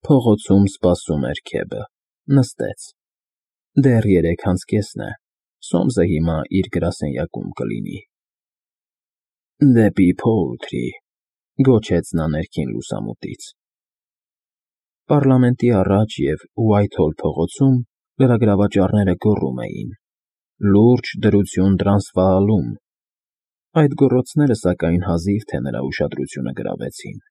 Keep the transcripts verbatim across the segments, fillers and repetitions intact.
Փողոցում սպասում էր Քեբը, նստեց։ Դեռ երեք անց կեսն է, Սոմսը հիմա իր գրասենյակում կլինի։ Դեպի Փոուլթրի, գոչեց նա ներքին լուսամուտից։ Պառլամենտի առաջ և Ուայթհոլ փողոցում լրագրավաճառները գոռում էին. «Լուրջ դրություն Տրանսվաալում»։ Այդ գոռոցները, սակայն, հազիվ թե նրա ուշադրությունը գրավեցին։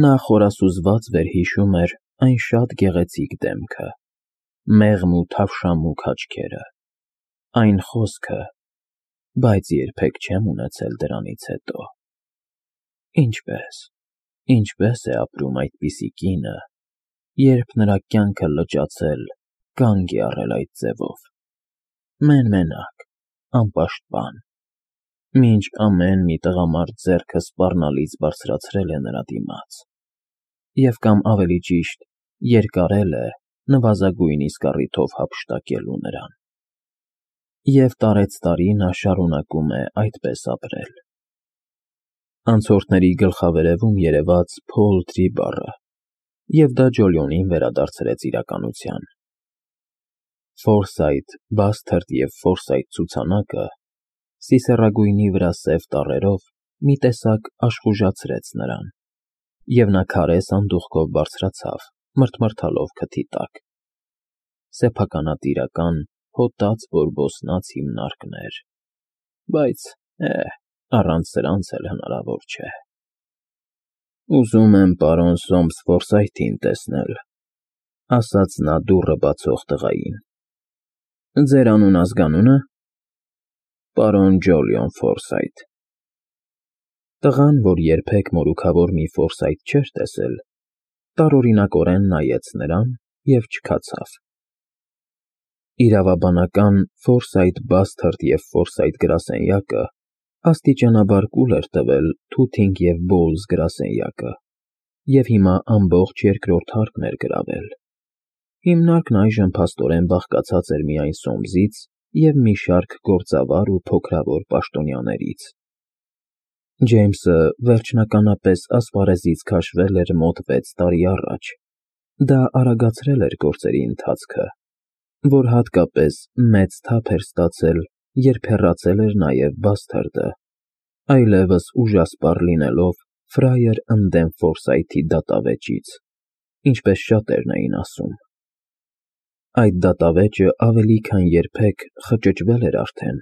Նա խորասուզված վերհիշում էր այն շատ գեղեցիկ դեմքը, մեղմ ու թավշամուք աչքերը, այն խոսքը, բայց երբեք չեմ ունեցել դրանից հետո… Ինչպե՞ս, ինչպե՞ս է ապրում այդպիսի կինը, երբ նրա կյանքը լճացել, կանգ է առել այդ ձևով, մեն֊մենակ, անպաշտպան, մինչ ամեն մի տղամարդ ձեռքը սպառնալից բարձրացրել է նրա դիմաց, և կամ ավելի ճիշտ, երկարել է նվազագույն իսկ առիթով հափշտակելու նրան… Եվ տարեցտարի նա շարունակում է այդպես ապրել… Անցորդների գլխավերևում երևաց Փոուլթրի բառը, և դա Ջոլիոնին վերադարձրեց իրականության… Ֆորսայթ, Բասթարդ և Ֆորսայթ ցուցանակը, սիսեռագույնի վրա սև տառերով, մի տեսակ աշխուժացրեց նրան, և նա քարե սանդուղքով բարձրացավ, մռթմռթալով քթի տակ… Սեփականատիրական, հոտած բորբոսնած հիմնարկներ, բայց, է՜, առանց սրանց էլ հնարավոր չէ… Ուզում եմ պարոն Սոմս Ֆորսայթին տեսնել, ֊ ասաց նա դուռը բացող տղային։ ֊ Ձեր անուն֊ազգանո՞ւնը։ ֊ Պարոն Ջոլիոն Ֆորսայթ… Տղան, որ երբեք մորուքավոր մի Ֆորսայթ չէր տեսել, տարօրինակորեն նայեց նրան և չքացավ… Իրավաբանական Ֆորսայթ֊Բասթարդ և Ֆորսայթ գրասենյակը աստիճանաբար կուլ էր տվել Թութինգ և Բոուլզ գրասենյակը և հիմա ամբողջ երկրորդ հարկն էր գրավել… Հիմնարկն այժմ փաստորեն բաղկացած էր միայն Սոմսից և մի շարք գործավար ու փոքրավոր պաշտոնյաներից… Ջեյմսը վերջնականապես ասպարեզից քաշվել էր մոտ վեց տարի առաջ, դա արագացրել էր գործերի ընթացքը, որ հատկապես մեծ թափ էր ստացել, երբ հեռացել էր նաև Բասթարդը, այլևս ուժասպառ լինելով ֆրայր ընդդեմ Ֆորսայթի դատավեճից, ինչպես շատերն էին ասում… Այդ դատավեճը ավելի քան երբեք խճճվել էր արդեն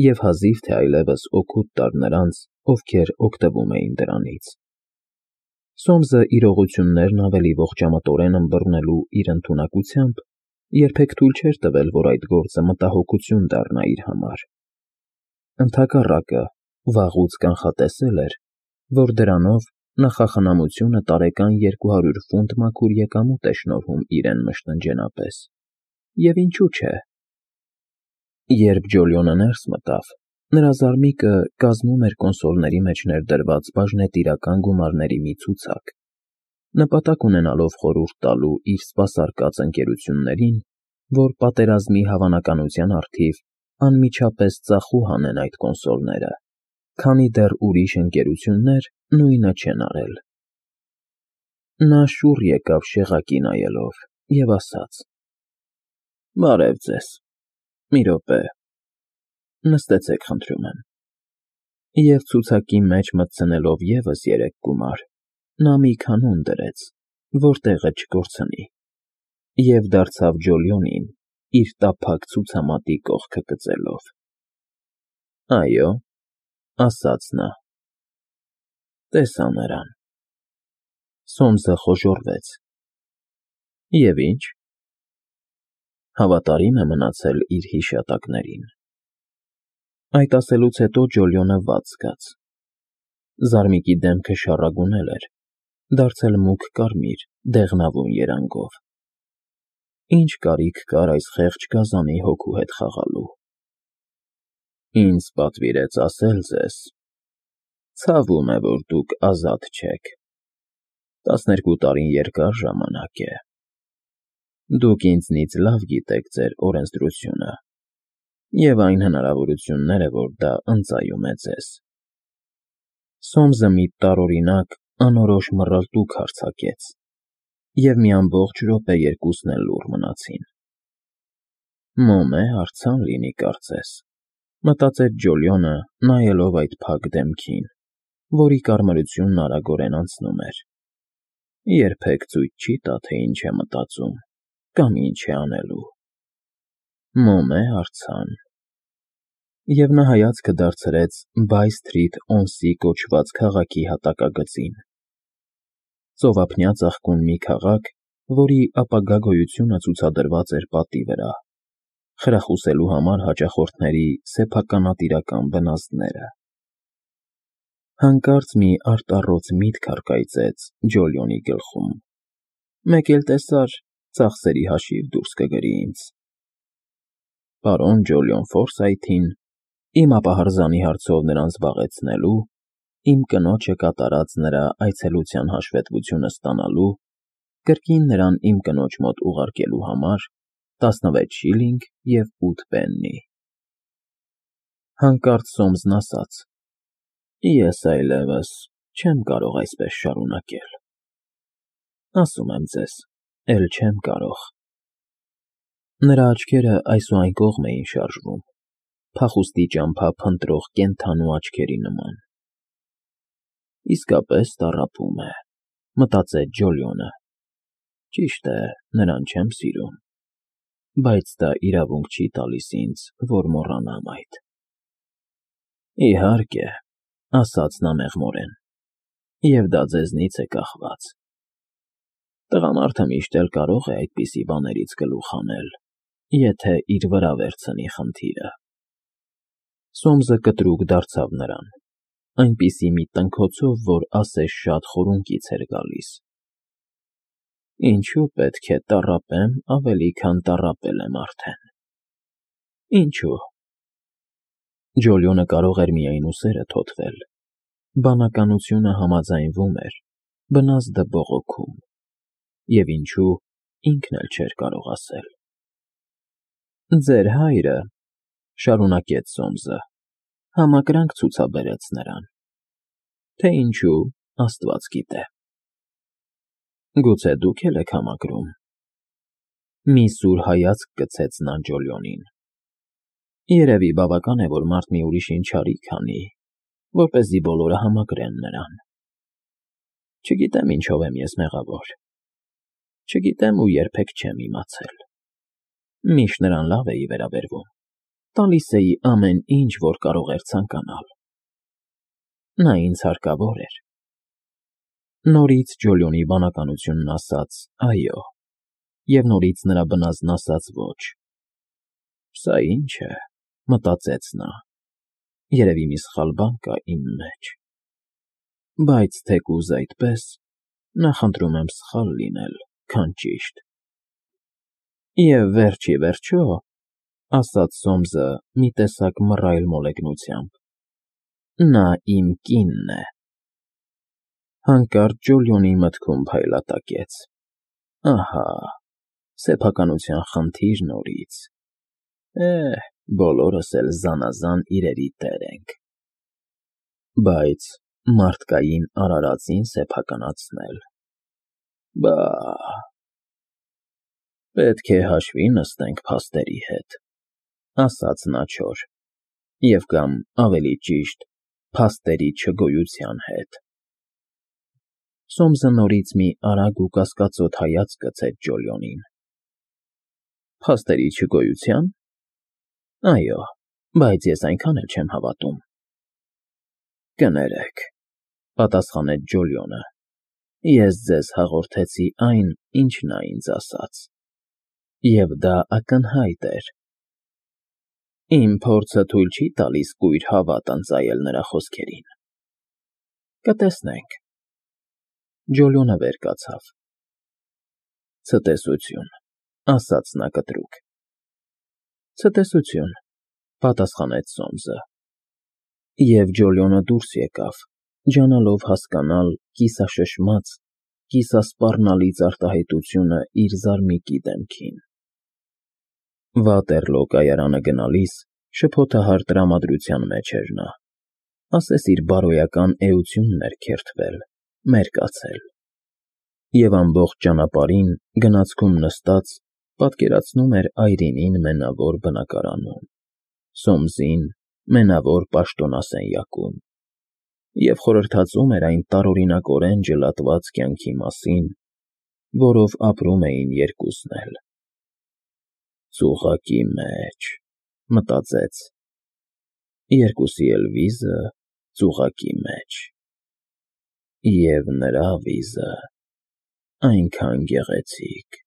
և հազիվ թե այլևս օգուտ տար նրանց, ովքեր օգտվում էին դրանից… Սոմսը իրողություններն ավելի ողջամտորեն ըմբռնելու իր ընդունակությամբ երբեք թույլ չէր տվել, որ այդ գործը մտահոգություն դառնա իր համար… Ընդհակառակը, վաղուց կանխատեսել էր, որ դրանով նախախնամությունը տարեկան երկու հարյուր ֆունտ մաքուր եկամուտ է շնորհում իրեն մշտնջենապես, և ինչու՞ չէ… Երբ Ջոլիոնը ներս մտավ, նրա զարմիկը կազմում էր կոնսոլների մեջ ներդրված բաժնետիրական գումարների մի ցուցակ, նպատակ ունենալով խորհուրդ տալու իր սպասարկած ընկերություններին, որ պատերազմի հավանականության առթիվ անմիջապես ծախու հանեն այդ կոնսոլները, քանի դեռ ուրիշ ընկերություններ նույնը չեն արել… Նա շուռ եկավ շեղակի նայելով և ասաց. ֊ Բարև ձեզ, մի րոպե, նստեցեք խնդրում եմ… Եվ ցուցակի մեջ մտցնելով ևս երեք գումար, նա մի կանոն դրեց, որ տեղը չկորցնի, և դարձավ Ջոլիոնին, իր տափակ ցուցամատի կողքը կծելով։ ֊ Այո, ֊ ասաց նա։ ֊ Տեսա նրան… Սոմսը խոժոռվեց։ ֊ Եվ ի՞նչ։ ֊ Հավատարիմ է մնացել իր հիշատակներին… Այդ ասելուց հետո Ջոլիոնը վատ զգաց… Զարմիկի դեմքը շառագունել էր, դարձել մուգ կարմիր, դեղնավուն երանգով… Ի՞նչ կարիք կար այս խեղճ գազանի հոգու հետ խաղալու… Ինձ պատվիրեց ասել ձեզ… Ցավում է, որ դուք ազատ չեք… Տասներկու տարին երկար ժամանակ է… Դուք ինձնից լավ գիտեք ձեր օրենսդրությունը և այն հնարավորությունները, որ դա ընծայում է ձեզ… Սոմսը մի տարօրինակ, անորոշ մռլտուք արձակեց, և մի ամբողջ րոպե երկուսն էլ լուռ մնացին։ «Մոմե արձան լինի, կարծես», մտածեց Ջոլիոնը, նայելով այդ փակ դեմքին, որի կարմրությունն արագորեն անցնում էր։ Երբեք ցույց չի տա, թե ինչ է մտածում կամ ինչ է անելու։ «Մոմե արձան»։ Եվ նա հայացքը դարձրեց Բայ Սթրիթ Օնսի կոչված քաղաքի հատակագծին։ Ծովափնյա ծաղկուն մի քաղաք, որի ապագա գոյությունը ցուցադրված էր պատի վրա, խրախուսելու համար հաճախորդների սեփականատիրական բնազդները։ Հանկարծ մի արտառոց միտք առկայծեց Ջոլիոնի գլխում։ «Մեկ էլ տեսար, ծախսերի հաշիվ դուրս կգրի ինձ»։ Պարոն Ջոլիոն Ֆորսայթին, իմ ապահարզանի հարցով նրան զբաղեցնելու, իմ կնոջը կատարած նրա այցելության հաշվետվությունը ստանալու, կրկին նրան իմ կնոջ մոտ ուղարկելու համար տասնվեց շիլինգ և ութ պեննի։ Հանկարծ Սոմսն ասաց. «Ես այլևս չեմ կարող այսպես շարունակել։ Ասում եմ ձեզ, էլ չեմ կարող»։ Նրա աչքերը այս ու այն կողմ էին շարժվում, փախուստի ճամփա փնտրող կենդանու աչքերի նման։ «Իսկապես տառապում է», մտածեց Ջոլիոնը։ «Ճիշտ է, նրան չեմ սիրում, բայց դա իրավունք չի տալիս ինձ, որ մոռանամ այդ»։ «Իհարկե», ասաց նա մեղմորեն, «և դա ձեզնից է կախված։ Տղամարդը միշտ էլ կարող է այդպիսի բաներից գլուխ հանել, եթե իր վրա վերցնի խնդիրը»։ Սոմսը կտրուկ դարձավ նրան, այնպիսի մի տնքոցով, որ ասես շատ խորունկից էր գալիս։ «Ինչու պետք է տառապեմ ավելի, քան տառապել եմ արդեն։ Ինչու՞»։ Ջոլիոնը կարող էր միայն ուսերը թոթվել։ Բանականությունը համաձայնվում էր, բնազդը բողոքում։ Եվ ինչու, ինքն էլ չէր կարող ասել։ «Ձեր հայրը», շարունակեց Սոմսը, «համակրանք ցուցաբերեց նրան։ Թե ինչու, Աստված գիտե։ Գուցե դուք էլ եք համակրում»։ Մի սուր հայացք գցեց նա Ջոլիոնին։ «Երևի բավական է, որ մարդ մի ուրիշին չարիք անի, որպեսզի բոլորը համակրեն նրան։ Չգիտեմ ինչով եմ ես մեղավոր։ Չգիտեմ ու երբեք չեմ իմացել։ Միշտ նրան լավ էի վերաբերվում, տալիս էի ամեն ինչ, որ կարող էր ցանկանալ։ Նա ինձ հարկավոր էր»։ Նորից Ջոլիոնի բանականությունն ասաց «այո» և նորից նրա բնազդն ասաց «ոչ»։ «Սա ի՞նչ է», մտածեց նա, «երևի մի սխալ բան կա իմ մեջ։ Բայց թեկուզ այդպես, նախընտրում եմ սխալ լինել, քան ճիշտ»։ «Եվ վերջ ի վերջո», ասաց Սոմսը մի տեսակ մռայլ մոլեգնությամբ, «նա իմ կինն է»։ Հանկարծ Ջոլիոնի մտքում փայլատակեց. «Ահա, սեփականության խնդիր նորից։ Է՜, բոլորս էլ զանազան իրերի տեր ենք։ Բայց մարդկային արարածին սեփականացնել… Բա… Պետք է հաշվի նստենք փաստերի հետ», ասաց նա չոր, «և կամ, ավելի ճիշտ, փաստերի չգոյության հետ»։ Սոմսը նորից մի արագ ու կասկածոտ հայացք գցեց Ջոլիոնին։ «Փաստերի չգոյությա՞ն։ Այո, բայց ես այնքան էլ չեմ հավատում»։ «Կներեք», պատասխանեց Ջոլիոնը, «ես ձեզ հաղորդեցի այն, ինչ նա ինձ ասաց, և դա ակնհայտ էր։ Իմ փորձը թույլ չի տալիս կույր հավատ ընծայել նրա խոսքերին։ Կտեսնենք»։ Ջոլիոնը վեր կացավ։ «Ցտեսություն», ասաց նա կտրուկ։ «Ցտեսություն», պատասխանեց Սոմսը։ Եվ Ջոլիոնը դուրս եկավ, ջանալով հասկանալ կիսաշշմած, կիսասպառնալից արտահայտությունը իր զարմիկի դեմքին։ Վատեռլո կայարանը գնալիս շփոթահար տրամադրության մեջ էր նա, ասես իր բարոյական էությունն էր քերթվել, մերկացել։ Եվ ամբողջ ճանապարհին, գնացքում նստած, պատկերացնում էր Այրինին մենավոր բնակարանում, Սոմսին մենավոր պաշտոնասենյակում, և խորհրդածում էր այն տարօրինակորեն ջլատված կյանքի մասին, որով ապրում էին երկուսն էլ։ «Ծուղակի մեջ», մտածեց, երկուսի էլ վիզը ծուղակի մեջ, և նրա վիզը այնքան գեղեցիկ։